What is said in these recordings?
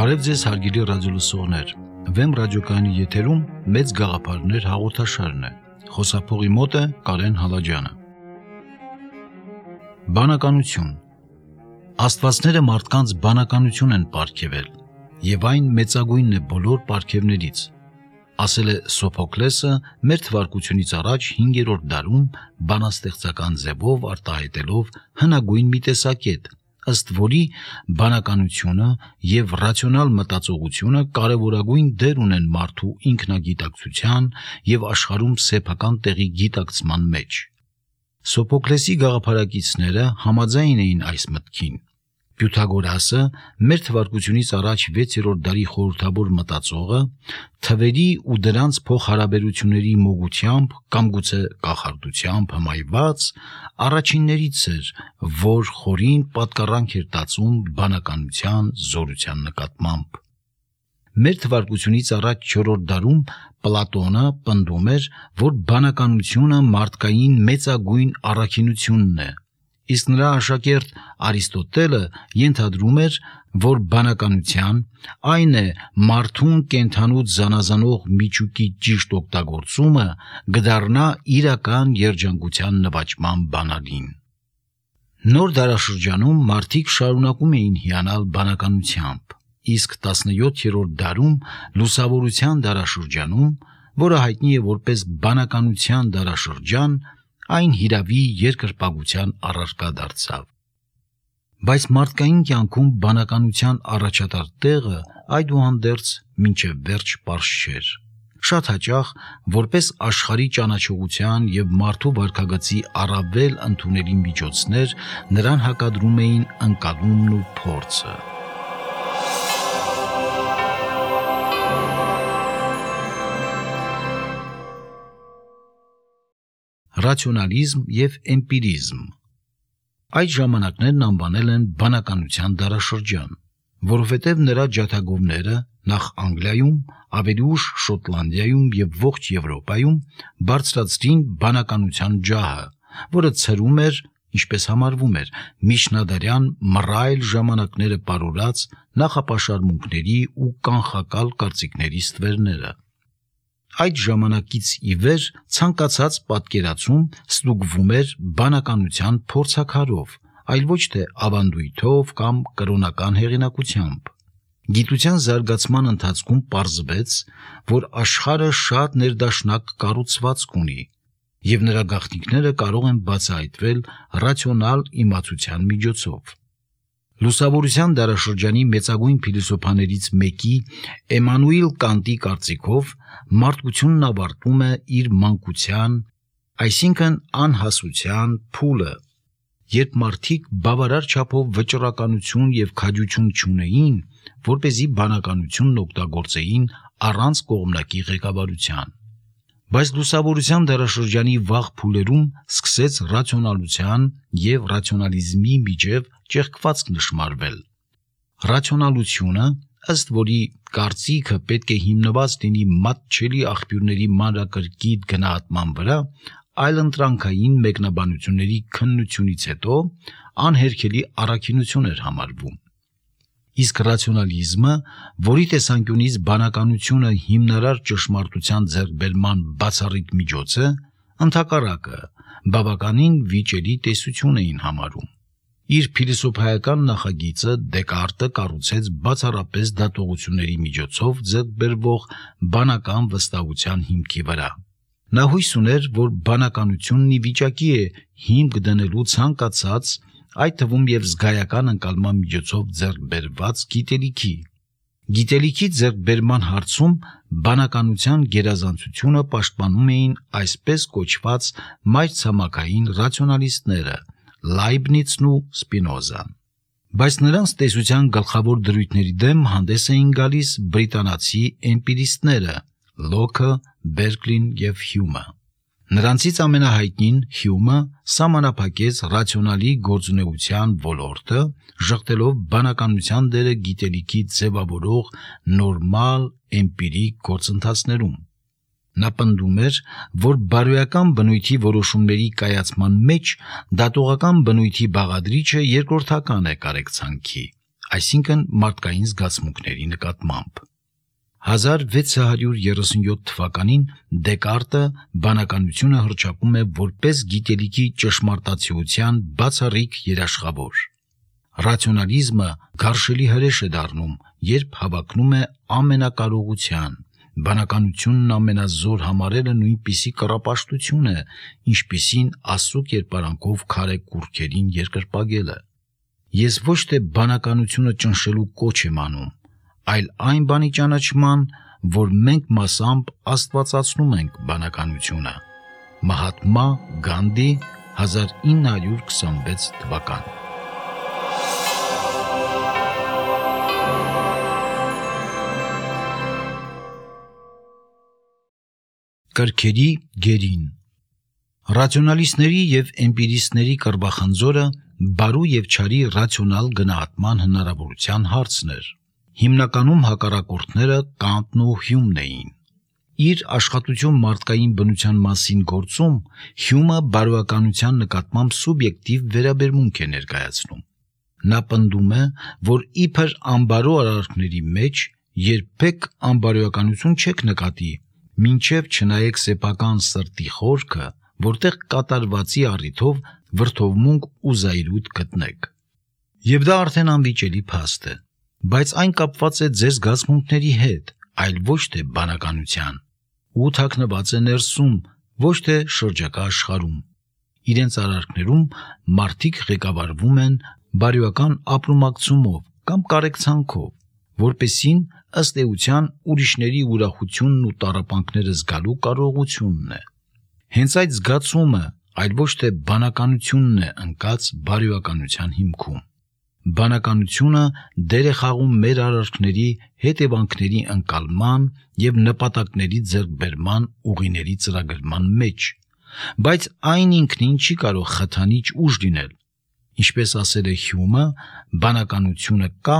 Բարև ձեզ հարգելի ռադիոլսողներ, Վեմ ռադիոկայանի եթերում մեծ գաղափարներ հաղորդաշարն է, խոսափողի մոտ է Կարեն Հալաջյանը։ Բանականություն։ Աստվածները մարդկանց բանականություն են պարգևել, եւ այն մեծագույնն է բոլոր պարգևներից, ասել է Սոփոկլեսը մեր թվարկությունից առաջ 5-րդ դարում բանաստեղծական ձևով արտահայտելով հնագույն մի տեսակետ, ըստ որի բանականությունը եւ ռացիոնալ մտածողությունը կարևորագույն դեր ունեն մարդու ինքնագիտակցության եւ աշխարհում սեփական տեղի գիտակցման մեջ։ Սոփոկլեսի գաղափարակիցները համաձայն էին այս մտքին։ Պյութագորասը, մեր թվարկությունից առաջ 6-րդ դարի խորհրդավոր մտածողը, թվերի ու դրանց փոխհարաբերությունների մոգությամբ կամ գուցե կախարդությամբ հմայված առաջիններից էր, որ խորին պատկառանք էր տածում բանականության զորության նկատմամբ։ Մեր թվարկությունից առաջ 4-րդ դարում Պլատոնը պնդում էր, որ բանականությունը մարդկային մեծագույն առաքինությունն է, իսկ նրա աշակերտ Արիստոտելը ենթադրում էր, որ բանականության, այն է մարդուն կենդանուց զանազանող միջուկի ճիշտ օգտագործումը կդառնա իրական երջանկության նվաճման բանալին։ Նոր դարաշրջանում մարդիկ շարունակում էին հիանալ բանականությամբ, իսկ 17-րդ դարում լուսավորության դարաշրջանում, որը հայտնի է որպես բանականության դարաշրջան, այն հիրավի երկրպագության առարկա դարձավ։ Բայց մարդկային կյանքում բանականության առաջատար տեղը այդուհանդերձ մինչև վերջ պարզ չէր։ Շատ հաճախ, որպես աշխարհի ճանաչողության եւ մարդու վարքագծի առավել ընդունելի միջոցներ, նրան հակադրում էին ընկալումն ու փորձը։ Ռացիոնալիզմ եւ էմպիրիզմ։ Այդ ժամանակներն անվանել են բանականության դարաշրջան, որովհետև նրա ջատագովները նախ Անգլիայում, ավելի ուշ Շոտլանդիայում եւ ողջ Եվրոպայում բարձրացրին բանականության ջահը, որը ցրում էր, ինչպես համարվում էր, միջնադարյան մռայլ ժամանակները պարուրած նախապաշարմունքների ու կանխակալ կարծիքների ստվերները։ Այդ ժամանակից ի վեր ցանկացած պատկերացում ստուգվում էր բանականության փորձաքարով, այլ ոչ թե ավանդույթով կամ կրոնական հեղինակությամբ։ Գիտության զարգացման ընթացքում պարզվեց, որ աշխարհը շատ ներդաշնակ կառուցվածք ունի, եւ նրա գաղտնիքները կարող են բացահայտվել ռացիոնալ իմացության միջոցով։ Լուսավորության դարաշրջանի մեծագույն փիլիսոփաներից մեկի Էմանուիլ Կանտի կարծիքով մարդկությունն ավարտում է իր մանկության, այսինքն անհասության փուլը, երբ մարդիկ բավարար չափով վճռականություն եւ քաջություն չունեին, որպեսզի բանականությունն օգտագործեին առանց կողմնակի ղեկավարության։ Բայց լուսավորության դարաշրջանի վաղ փուլերում սկսեց ռացիոնալության եւ ռացիոնալիզմի միջև ճեղքվածք նշմարվել։ Ռացիոնալությունը, ըստ որի կարծիքը պետք է հիմնված լինի մատչելի աղբյուրների մանրակրկիտ գնահատման վրա, այլընտրանքային մեկնաբանությունների քննությունից հետո անհերքելի առաքինություն էր համարվում։ Իսկ ռացիոնալիզմը, որի տեսանկյունից բանականությունը հիմնարար ճշմարտության ձեռքբերման բացառիկ միջոց է, ընդհակառակը բավականին վիճելի տեսություն էին համարում։ Իր փիլիսոփայական նախագիծը Դեկարտը կառուցեց բացառապես դատողությունների միջոցով ձեռքբերվող բանական վստահության հիմքի վրա։ Նա հույս ուներ, որ բանականությունն ի վիճակի է հիմք դնելու ցանկացած, այդ թվում եւ զգայական ընկալման միջոցով ձեռքբերված գիտելիքի։ Գիտելիքի ձեռքբերման հարցում բանականության գերազանցությունը պաշտպանում էին այսպես կոչված մայրցամաքային ռացիոնալիստները Լայբնիցն ու Սպինոզան։ Բայց նրանց տեսության գլխավոր դրույթների դեմ հանդես էին գալիս բրիտանացի էմպիրիստները Լոքը, Բերկլին եւ Հյումը։ Նրանցից ամենահայտնին Հյումը սահմանափակեց ռացիոնալի գործունեության ոլորտը, ժխտելով բանականության դերը գիտելիքի ձևավորող նորմալ էմպիրիկ գործընթացներում։ Նա պնդում էր, որ բարոյական բնույթի որոշումների կայացման մեջ դատողական բնույթի բաղադրիչը երկրորդական է կարեկցանքի, այսինքն մարդկային զգացմունքների նկատմամբ։ 1637 թվականին Դեկարտը բանականությունը հռչակում է որպես գիտելիքի ճշմարտացիության բացառիկ երաշխավոր։ Ռացիոնալիզմը գարշելի հրեշ է դառնում, երբ հավակնում է ամենակարողության։ Բանականությունն ամենազոր համարելը նույնպիսի կռապաշտություն է, ինչպիսին Աստծո կերպարանքով քարե կուռքերին երկրպագելը։ Ես ոչ թե բանականությունը ճնշելու կոչ եմ անում, այլ այն բանի ճանաչման, որ մենք մասամբ աստվածացնում ենք բանականությունը։ Մահատմա Գանդի 1926 թվական։ Կրքերի գերին։ Ռացիոնալիստների եւ էմպիրիստների կռվախնձորը բարու եւ չարի ռացիոնալ գնահատման հնարավորության հարցն էր։ Հիմնականում հակառակորդները Կանտն ու Հյումն էին։ Իր աշխատություն մարդկային բնության մասին գործում Հյումը բարոյականության նկատմամբ սուբյեկտիվ վերաբերմունք է ներկայացնում։ Նա պնդում է, որ իբր անբարո արարքների մեջ երբեք անբարոյականություն չեք նկատի, մինչև չնայեք սեփական սրտի խորքը, որտեղ կատարվածի առիթով վրդովմունք ու զայրույթ գտնեք։ Եվ դա արդեն անվիճելի փաստ է, բայց այն կապված է ձեր զգացմունքների հետ, այլ ոչ թե բանականության, ու թաքնված է ներսում, ոչ թե շրջակա աշխարհում։ Իրենց արարքներում մարդիկ ղեկավարվում են բարոյական ապրումակցումով կամ կարեկցանքով, որպեսին ըստ էության ուրիշների ուրախությունն ու տառապանքները զգալու կարողությունն է։ Հենց այդ զգացումը, այլ ոչ թե բանականությունն է ընկած բարոյականության հիմքում։ Բանականությունը դեր է խաղում մեր արարքների հետևանքների ընկալման եւ նպատակների ձեռքբերման ուղիների ծրագրման մեջ, բայց այն ինքնին չի կարող խթանիչ ուժ լինել։ Ինչպես ասել է Հյումը, բանականությունը կա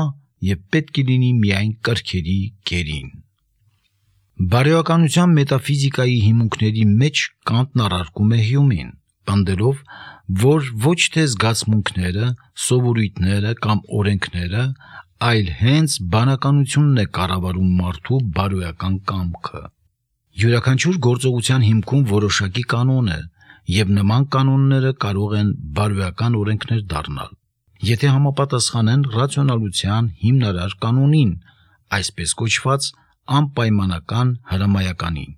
եւ պետք է լինի միայն կրքերի գերին։ Բարոյականության մետաֆիզիկայի հիմունքների մեջ Կանտն առարկում է Հյումին, պնդելով, որ ոչ թե զգացմունքները, սովորույթները կամ օրենքները, այլ հենց բանականությունն է կառավարում մարդու բարոյական կամքը։ Յուրաքանչյուր գործողության հիմքում որոշակի կանոն է, եւ նման կանոնները կարող են բարոյական օրենքներ դառնալ, եթե համապատասխանեն ռացիոնալության հիմնարար կանոնին, այսպես կոչված անպայմանական հրամայականին։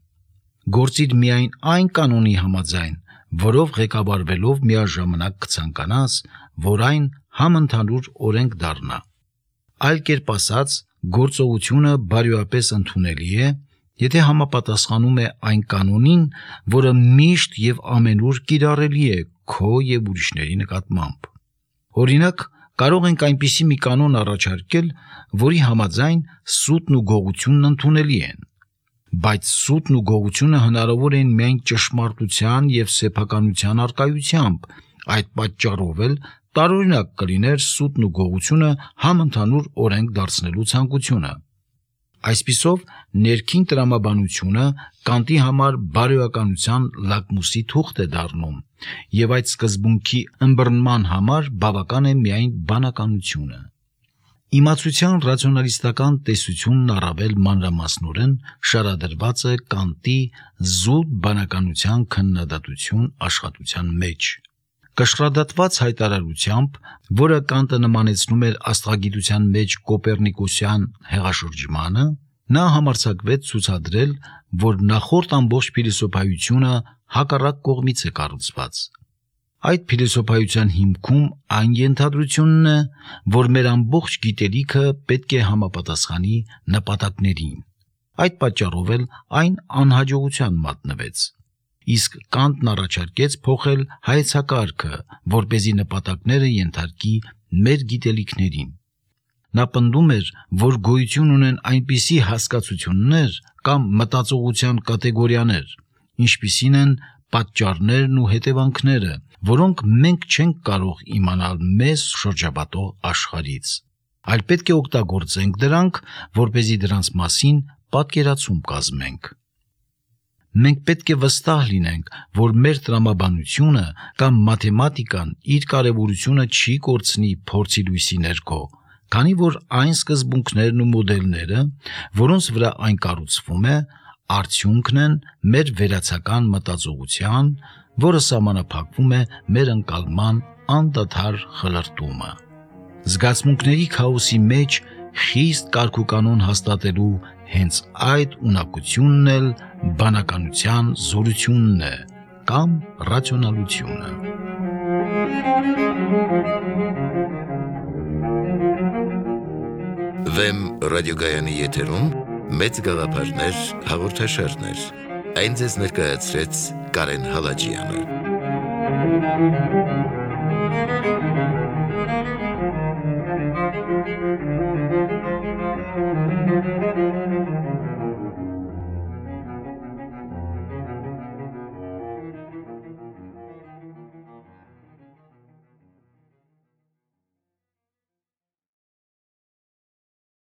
Գործիր միայն այն կանոնի համաձայն, որով ղեկավարվելով միաժամանակ կցանկանաս, որ այն համընդհանուր օրենք դառնա։ Այլ կերպ ասած, գործողությունը բարոյապես ընդունելի է, եթե համապատասխանում է այն կանոնին, որը միշտ եւ ամենուր կիրառելի է քո եւ ուրիշների նկատմամբ։ Օրինակ, կարող ենք այնպիսի մի կանոն առաջարկել, որի համաձայն սուտն ու գողությունն ընդունելի են, բայց սուտն ու գողությունը հնարավոր են միայն ճշմարտության եւ սեփականության առկայությամբ, այդ պատճառով էլ տարօրինակ կլիներ սուտն ու գողությունը համընդհանուր օրենք դարձնելու ցանկությունը։ Այսպիսով, ներքին տրամաբանությունը Կանտի համար բարոյականության լակմուսի թուղթ է դառնում, եւ այդ սկզբունքի ըմբռնման համար բավական է միայն բանականությունը։ Իմացության ռացիոնալիստական տեսությունն առավել մանրամասնորեն շարադրված է Կանտի զուտ բանականության քննադատություն աշխատության մեջ։ Կշռադատված հայտարարությամբ, որը Կանտը նմանեցնում էր աստղագիտության մեջ կոպեռնիկոսյան հեղաշրջմանը, նա համարձակվեց ցուցադրել, որ նախորդ ամբողջ փիլիսոփայությունը հակառակ կողմից է կառուցված։ Այդ փիլիսոփայության հիմքում այն ենթադրությունն է, որ մեր ամբողջ գիտելիքը պետք է համապատասխանի նպատակներին։ Այդ պատճառով էլ այն անհաջողության մատնվեց։ Իսկ Կանտն առաջարկեց փոխել հայեցակարգը, որպեսզի նպատակները ենթարկի մեր գիտելիքներին։ Նա պնդում էր, որ գոյություն ունեն այնպիսի հասկացություններ կամ մտածողության կատեգորիաներ, ինչպիսին են պատճառներն ու հետևանքները, որոնք մենք չենք կարող իմանալ մեզ շրջապատող աշխարհից, այլ պետք է օգտագործենք դրանք, որպեսզի դրանց մասին պատկերացում կազմենք։ Մենք պետք է վստահ լինենք, որ մեր տրամաբանությունը կամ մաթեմատիկան իր կարևորությունը չի կորցնի փորձի լույսի ներքո, քանի որ այն սկզբունքներն ու մոդելները, որոնց վրա այն կառուցվում է, արդյունքն են մեր վերացական մտածողության, որը սահմանափակվում է մեր ընկալման անդադար խլրտումը։ Զգացմունքների քաոսի մեջ խիստ կարգուկանոն հաստատելու հենց այդ ունակությունն էլ բանականության զորությունն է կամ ռացիոնալությունը։ Վեմ ռադիոգայանի եթերում մեծ գաղափարներ հաղորդաշարներ։ Այն ձեզ ներկայացրեց Կարեն Հալաջյանը։